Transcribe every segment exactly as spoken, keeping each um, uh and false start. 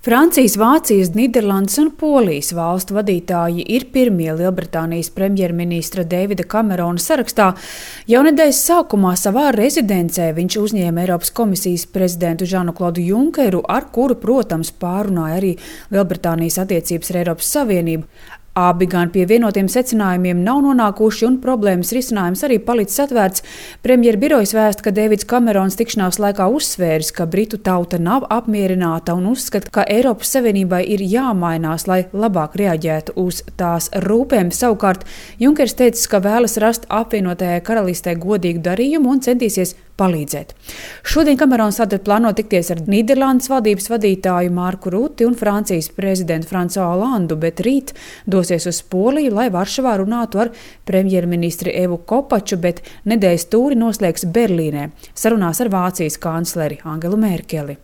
Francijas, Vācijas, Nīderlandes un Polijas valstu vadītāji ir pirmie Lielbritānijas premjerministra Deivida Kamerona sarakstā. Jau nedēļas sākumā savā rezidencē viņš uzņēma Eiropas komisijas prezidentu Žanu-Klodu Junkeru, ar kuru, protams, pārunāja arī Lielbritānijas attiecības ar Eiropas Savienību. Abi gan pie vienotiem secinājumiem nav nonākuši, un problēmas risinājums arī palicis atvērts. Premjera birojas vēsta, ka Deivids Kamerons tikšanās laikā uzsvēris, ka Britu tauta nav apmierināta un uzskata, ka Eiropas Savienībai ir jāmainās, lai labāk reaģētu uz tās rūpēm. Savukārt Junkers teica, ka vēlas rast apvienotajai karalistē godīgu darījumu un centīsies palīdzēt. Šodien Kamerons tātad plāno tikties ar Nīderlandes valdības vadītāju Marku Ruti un Francijas prezidentu Fransuā Olandu, bet rīt dosies uz Poliju, lai Varšavā runātu ar premjerministri Evu Kopaču, bet nedēļas tūri noslēgs Berlīnē, sarunās ar Vācijas kancleri Angelu Merkeli.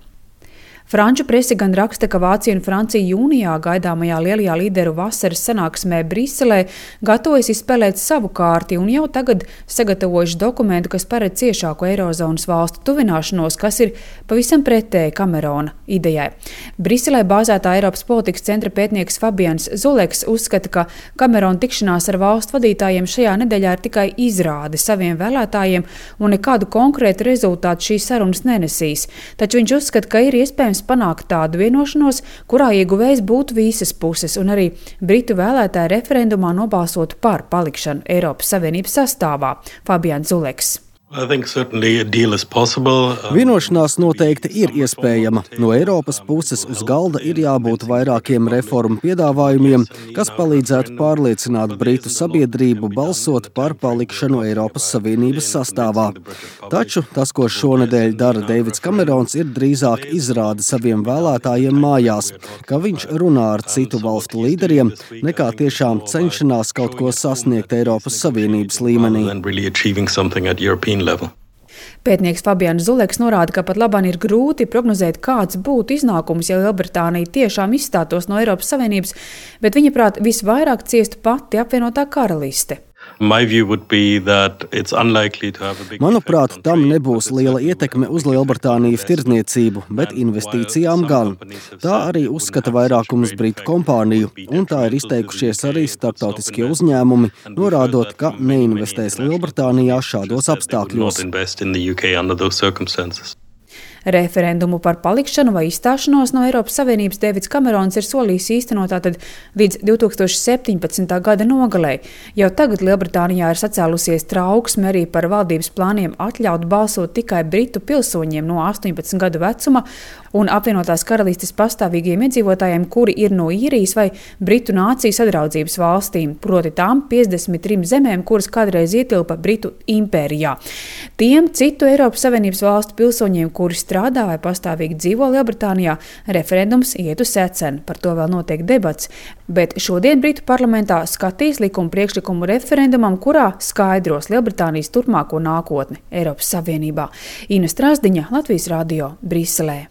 Franču prese gan raksta, ka Vācija un Francija jūnijā gaidāmajā lielajā līderu vasaras sanāksmē Briselē gatavojas izspēlēt savu kārti un jau tagad sagatavojuši dokumentu, kas paredz ciešāku eirozonas valstu tuvināšanos, kas ir pavisam pretēji Kamerona idejai. Briselē bāzētā Eiropas politikas centra pētnieks Fabians Zuleks uzskata, ka Kamerona tikšanās ar valstu vadītājiem šajā nedēļā ir tikai izrāde saviem vēlētājiem un nekādu konkrētu rezultātu šīs sarunas nenesīs. Taču viņš uzskata, ka ir iespējams panākt tādu vienošanos, kurā ieguvējs būtu visas puses, un arī Britu vēlētāji referendumā nobalsotu par palikšanu Eiropas Savienības sastāvā. Fabians Zuleks. Vienošanās noteikti ir iespējama. No Eiropas puses uz galda ir jābūt vairākiem reformu piedāvājumiem, kas palīdzētu pārliecināt Britu sabiedrību balsot par palikšanu Eiropas Savienības sastāvā. Taču tas, ko šonedēļ dara Deivids Kamerons, ir drīzāk izrāde saviem vēlētājiem mājās, ka viņš runā ar citu valstu līderiem, nekā tiešām cenšanās kaut ko sasniegt Eiropas Savienības līmenī. Level. Pētnieks Fabians Zuleks norāda, ka pat labāk ir grūti prognozēt, kāds būtu iznākums, ja Lielbritānija tiešām izstātos no Eiropas Savienības, bet viņa prāt visvairāk ciestu pati apvienotā karaliste. Manuprāt, tam nebūs liela ietekme uz Lielbritānijas tirdzniecību, bet investīcijām gan. Tā arī uzskata vairākums Britu kompāniju, un tā ir izteikušies arī starptautiskie uzņēmumi, norādot, ka neinvestēs Lielbritānijā šādos apstākļos. Referendumu par palikšanu vai izstāšanos no Eiropas Savienības Deivids Kamerons ir solījis īstenot tātad līdz divi tūkstoši septiņpadsmitā gada nogalei. Jau tagad Lielbritānijā ir sacēlusies trauksme arī par valdības plāniem atļaut balsot tikai Britu pilsoņiem no astoņpadsmit gadu vecuma un apvienotās karalistes pastāvīgiem iedzīvotājiem, kuri ir no Īrijas vai Britu nāciju sadraudzības valstīm, proti tām piecdesmit trim zemēm, kuras kādreiz ietilpa Britu impērijā. Tiem citu Eiropas Savienības valstu pilsoņiem, kuri strādā vai pastāvīgi dzīvo Lielbritānijā, referendums iet uz seceni. Par to vēl notiek debats, bet šodien Britu parlamentā skatīs likuma priekšlikumu referendumam, kurā skaidros Lielbritānijas turpmāko nākotni Eiropas Savienībā. Ina Strasdiņa, Latvijas radio, Briselē.